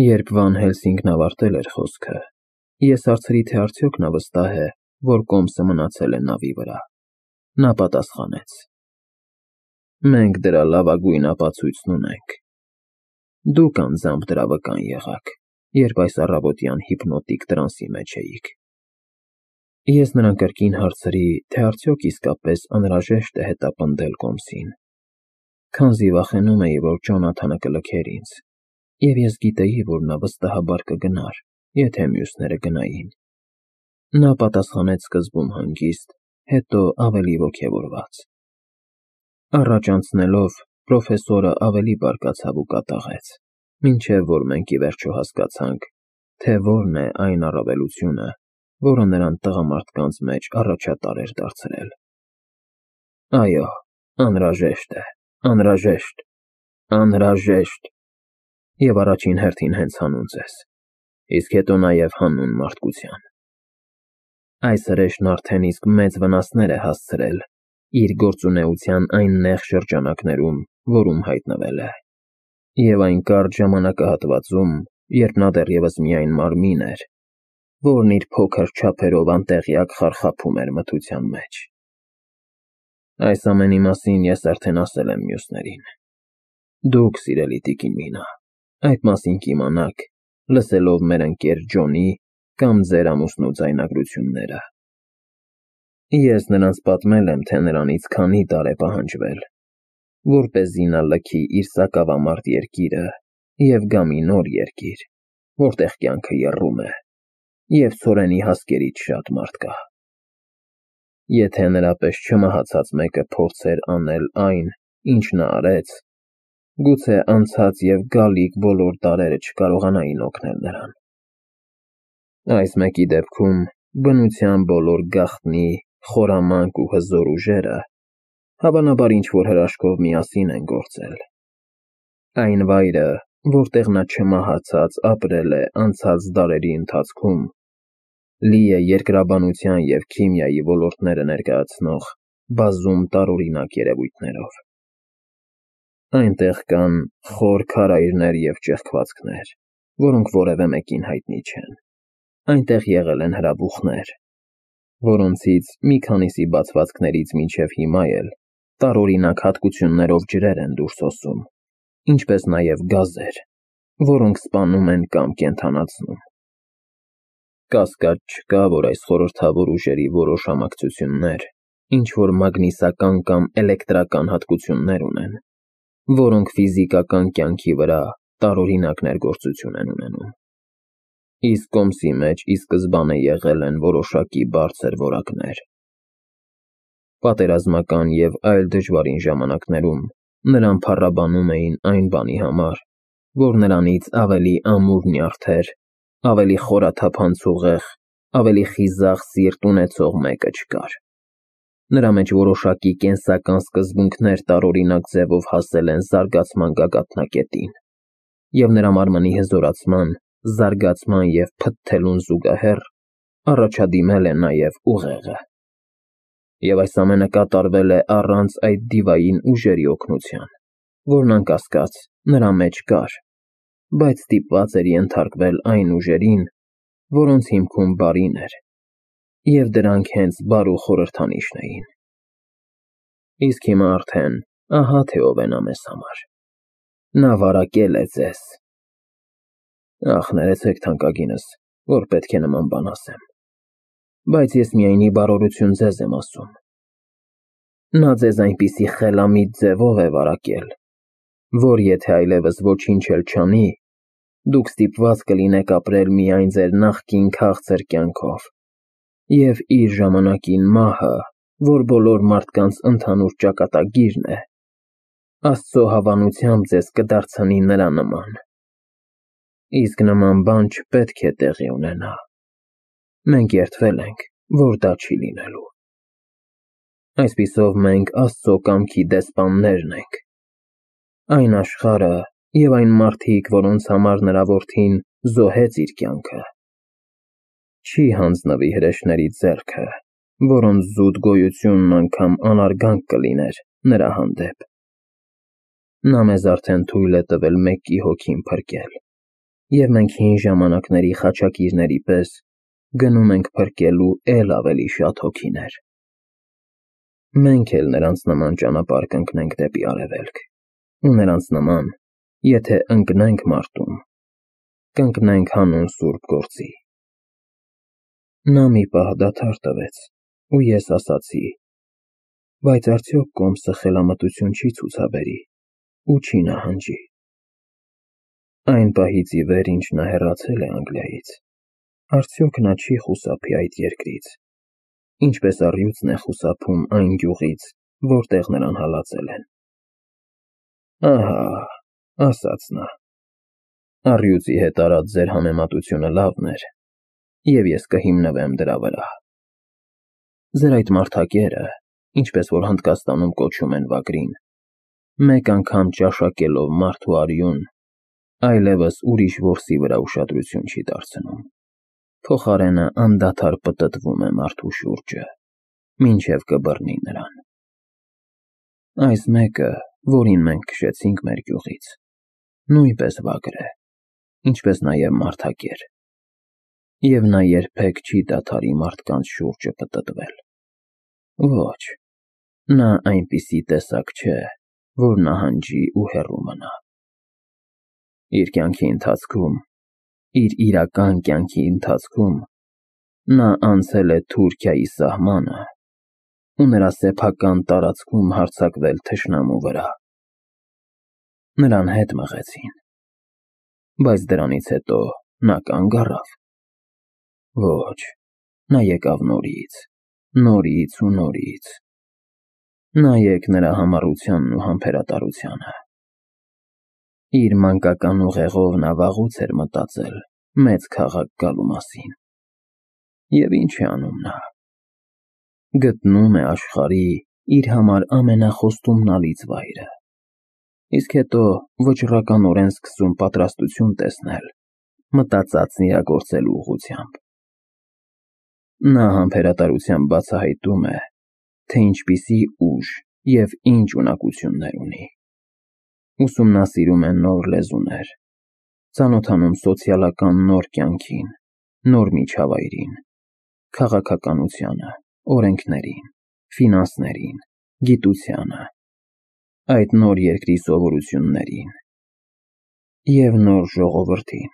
Երբ Վան Հելսինգն ավարտել էր խոսքը, ես հարցրի, թե արդյոք նա վստահ է, որ կոմսը մնացել է նավի վրա։ Նա պատասխանեց. Մենք դրա լավագույն ապացույցն ունենք։ Դուք անձամբ դրա վկան եղաք, երբ այս առավոտյան հիպնոտիկ տրանսի մեջ էիք։ Ես նրան կրկին հարցրի, թե արդյոք իսկապես անհրաժեշտ է հետապնդել կոմսին, քանզի վախենում էի, որ Ջոնաթանը կլքեր ինձ, և ես գիտեի, որ նա վստահաբար կգնար, եթե մյուսները գնային։ Նա պատասխանեց սկզբում հանգիստ, հետո ավելի ոգևորված։ Առաջ անցնելով, պրոֆեսորը ավելի բարկացավ ու կատաղեց, մինչև որ մենք ի վերջո հասկացանք, թե որն է այն առավելությունը, որը նրան տղամարդկանց մեջ առաջատար էր դարձրել։ Այո, անհրաժեշտ է, անհրաժեշտ, անհրաժեշտ, և առաջին հերթին հենց հանուն ձեզ, իսկ հետո նաև հանուն մարդկության։ Այս հրեշն արդեն իսկ մեծ վնասներ է հասցրել իր գործունեության այն նեղ շրջանակներում, որում հայտնվել է, և այն կարճ ժամանակահատվածում, երբ նա դեռևս միայն մարմին էր, որն իր փոքր չափերով անտեղյակ խարխափում էր մթության մեջ։ Այս ամենի մասին ես արդեն ասել եմ մյուսներին։ Դուք, սիրելի տիկին Մինա, այդ մասին կիմանաք, լսելով մեր ընկեր Ջոնի կամ ձեր ամուսնու ձայնագրությունները։ Ես նրանց պատմել եմ, թե նրանից քանի տարր է պահանջվել, որպեսզի նա լքի իր սակավամարդ երկիրը և գա մի նոր երկիր, որտեղ կյանքը եռում է, և ցորենի հասկերից շատ մարդ կա։ Եթե նրա պես չմահացած մեկը փորձեր անել այն, ինչ նա արեց, գուցե անցած և գալիք բոլոր դարերը չկարողանային օգնել նրան։ Այս մեկի դեպքում բնության բոլոր գաղտնի, խորամանկ ու հզոր ուժերը հավանաբար ինչ-որ հրաշքով միասին են գործել։ Այն վայրը, որտեղ նա չմահացած ապրել է անցած դարերի ընթացքում, լի է երկրաբանության և քիմիայի ոլորտները ներկայացնող բազում տարօրինակ երևույթներով։ Այնտեղ կան խոր քարայրներ և ճեղքվածքներ, որոնք որևէ մեկին հայտնի չեն։ Այնտեղ եղել են հրաբուխներ, որոնցից մի քանիսի բացվածքներից մինչև հիմա էլ տարօրինակ հատկություններով ջրեր են դուրս հոսում, ինչպես նաև գազեր, որոնք սպանում են կամ կենդանացնում։ Կասկած չկա, որ այս խորհրդավոր ուժերի որոշ համակցություններ ինչ-որ մագնիսական կամ էլեկտրական հատկություններ ունեն, որոնք ֆիզիկական կյանքի վրա տարօրինակ ներգործություն են ունենում։ Իսկ կոմսի մեջ ի սկզբանե եղել են որոշակի բարձր որակներ։ Պատերազմական և այլ դժվարին ժամանակներում նրան փառաբանում էին այն բանի համար, որ նրանից ավելի ամուր նյարդեր, ավելի խորաթափանց ուղեղ, ավելի խիզախ սիրտ ունեցող մեկը չկար։ Նրա մեջ որոշակի կենսական սկզբունքներ տարօրինակ ձևով հասել են զարգացման գագաթնակետին, և նրա մարմնի հզորացման, զարգացման և փթթելուն զուգահեռ առաջադիմել է նաև ուղեղը։ Եվ այս ամենը կատարվել է առանց այդ դիվային ուժերի օգնության, որն անկասկած նրա մեջ կար, բայց ստիպված էր ենթարկվել այն ուժերին, որոնց հիմքում բարին էր, և դրանք հենց բարու խորհրդանիշն էին։ Իսկ հիմա արդեն ահա թե ով է նա մեզ համար։ Նա վարակել է ձեզ։ Ախ, ներեցեք թանկագինս, որ պետք է նման բան ասեմ, բայց ես միայն ի բարօրություն ձեզ եմ ասում։ Նա ձեզ այնպիսի խելամիտ ձևով է վարակել, որ եթե այլևս ոչինչ էլ չանի, դուք ստիպված կլինեք ապրել միայն ձեր նախկին քաղցր կյանքով, և իր ժամանակին մահը, որ բոլոր մարդկանց ընդհանուր ճակատագիրն է, Աստծո հավանությամբ ձեզ կդարձնի նրա նման։ Իսկ նման բան չպետք է տեղի ունենա։ Մենք երդվել ենք, որ դա չի լինելու։ Այսպիսով մենք Աստծո կամքի դեսպաններն ենք։ Այն աշխարհը և այն մարդիկ, որոնց համար նրա որդին զոհեց իր կյանքը, չի հանձնվի հրեշների ձեռքը, որոնց զուտ գոյությունն անգամ անարգանք կլիներ նրա հանդեպ։ Նա մեզ արդեն թույլ է տվել մեկի հոգին փրկել, Եվ մենք հին ժամանակների խաչակիրների պես գնում ենք փրկելու էլ ավելի շատ հոգիներ։ Մենք էլ նրանց նման ճանապարհ կընկնենք դեպի արևելք, ու նրանց նման, եթե ընկնենք մարտում, կընկնենք հանուն սուրբ գործի։ Նա մի պահ դադար տվեց, ու ես ասացի. բայց արդյոք Կոմսը խելամտություն չի ցուցաբերի ու չի նահանջի։ Այն պահից ի վեր, ինչ նա հեռացել է Անգլիայից, արդյոք նա չի խուսափի այդ երկրից, ինչպես առյուծն է խուսափում այն գյուղից, որտեղ նրան հալածել են։ Ահա, ասաց նա, առյուծի հետ արած ձեր համեմատությունը լավն էր, և ես կհիմնվեմ դրա վրա։ Ձեր այդ մարդակերը, ինչպես որ Հնդկաստանում կոչում են վագրին, մեկ անգամ ճաշակելով մարդու արյուն, այլևս ուրիշ որսի վրա ուշադրություն չի դարձնում, փոխարենը անդադար պտտվում է մարդու շուրջը, մինչև կբռնի նրան։ Այս մեկը, որին մենք քշեցինք մեր գյուղից, նույնպես վագր է, ինչպես նաև մարդակեր, և նա երբեք չի դադարի մարդկանց շուրջը պտտվել։ Ոչ, նա այնպիսի տեսակ չէ, որ նահանջի ու հեռու մնա։ Իր կյանքի ընթացքում, իր իրական կյանքի ընթացքում նա անցել է Թուրքիայի սահմանը ու նրա սեփական տարածքում հարձակվել թշնամու վրա։ Նրան հետ մղեցին, բայց դրանից հետո նա կանգ առավ։ Ոչ, նա եկավ նորից, նորից ու նորից։ Նայեք նրա համառությանն ու համբերատարությանը։ Իր մանկական ուղեղով նա վաղուց էր մտածել մեծ քաղաք գալու մասին։ Եվ ինչ է անում նա։ Գտնում է աշխարհի իր համար ամենախոստումնալից վայրը, իսկ հետո վճռականորեն սկսում պատրաստություն տեսնել մտածածն իրագործելու ուղղությամբ։ Նա համբերատարությամբ բացահայտում է, թե ինչպիսի ուժ և ինչ ունակություններ ունի։ Ուսումնասիրում է նոր լեզուներ, ծանոթանում սոցիալական նոր կյանքին, նոր միջավայրին, քաղաքականությանը, օրենքներին, ֆինանսներին, գիտությանը, այդ նոր երկրի սովորություններին և նոր ժողովրդին,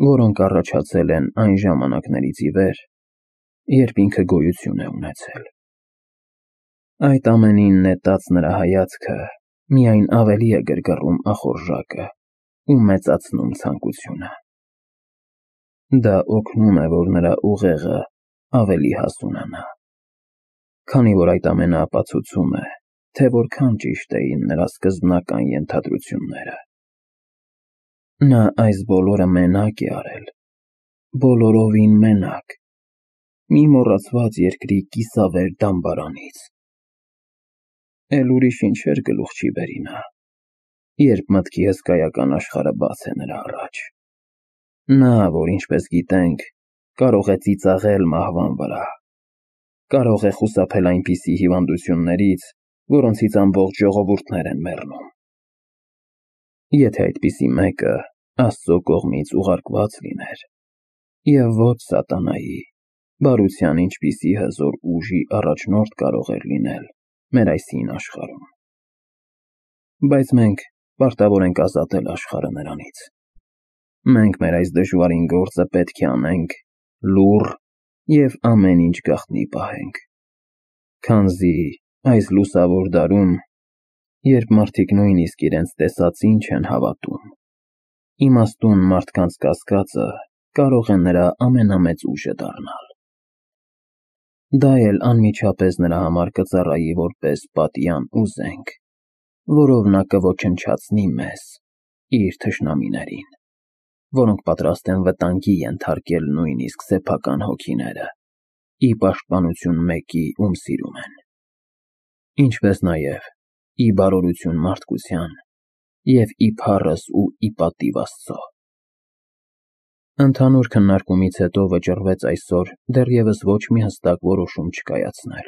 որոնք առաջացել են այն ժամանակներից ի վեր, երբ ինքը գոյություն է ունեցել։ Այդ ամենին նետած նրա հայացքը միայն ավելի է գրգռում ախորժակը ու մեծացնում ցանկությունը։ Դա օգնում է, որ նրա ուղեղը ավելի հասունանա, քանի որ այդ ամենը ապացուցում է, թե որքան ճիշտ էին նրա սկզբնական ենթադրությունները։ Նա այս բոլորը մենակ է արել, բոլորովին մենակ, մի մոռացված երկրի կիսավեր դամբարանից։ Էլ ուրիշ ինչեր գլուխ չի բերի նա, երբ մտքի հսկայական աշխարհը բաց է նրա առաջ։ Նա, որ ինչպես գիտենք, կարող է ծիծաղել մահվան վրա, կարող է խուսափել այնպիսի հիվանդություններից, որոնցից ամբողջ ժողովուրդներ են մեռնում։ Եթե այդպիսի մեկը Աստծո կողմից ուղարկված լիներ, և ոչ սատանայի, բարության ինչպիսի հզոր ուժի առաջնորդ կարող էր լինել մեր այս հին աշխարհում։ Բայց մենք պարտավոր ենք ազատել աշխարհը նրանից։ Մենք մեր այս դժվարին գործը պետք է անենք լուռ և ամեն ինչ գաղտնի պահենք, քանզի այս լուսավոր դարում, երբ մարդիկ նույնիսկ իրենց տեսածին չեն հավատում, իմաստուն մարդկանց կասկածը կարող է նրա ամենամեծ ուժը դառնալ։ Դա էլ անմիջապես նրա համար կծառայի որպես պատյան ու զենք, որով նա կոչնչացնի մեզ, իր թշնամիներին, որոնք պատրաստ են վտանգի ենթարկել նույնիսկ սեփական հոգիները, ի պաշտպանություն մեկի, ում սիրում են, ինչպես նաև ի բարօրություն մարդկության և ի փառս ու ի պատիվ Աստծո։ Ընդհանուր քննարկումից հետո վճռվեց այսօր դեռևս ոչ մի հստակ որոշում չկայացնել։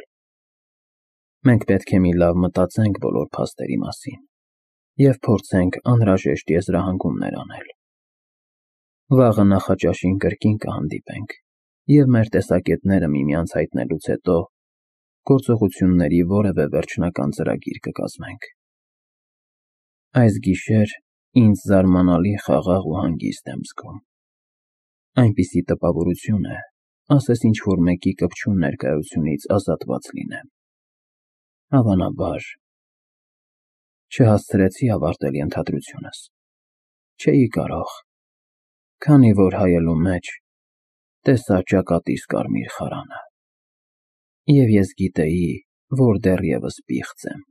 Մենք պետք է մի լավ մտածենք բոլոր փաստերի մասին և փորձենք անհրաժեշտ եզրահանգումներ անել։ Վաղը նախաճաշին կրկին կհանդիպենք և մեր տեսակետները միմյանց հայտնելուց հետո գործողությունների որևէ վերջնական ծրագիր կկազմենք։ Այս գիշեր ինձ զարմանալի խաղաղ ու հանգիստ եմ զգում։ Այնպիսի տպավորություն է, ասես ինչ-որ մեկի կպչուն ներկայությունից ազատված լինեմ։ Հավանաբար, չհասցրեցի ավարտել ենթադրությունս։ Չէի կարող, քանի որ հայելու մեջ տեսա ճակատիս կարմիր խարանը, և ես գիտեի, որ դեռևս պիղծ եմ։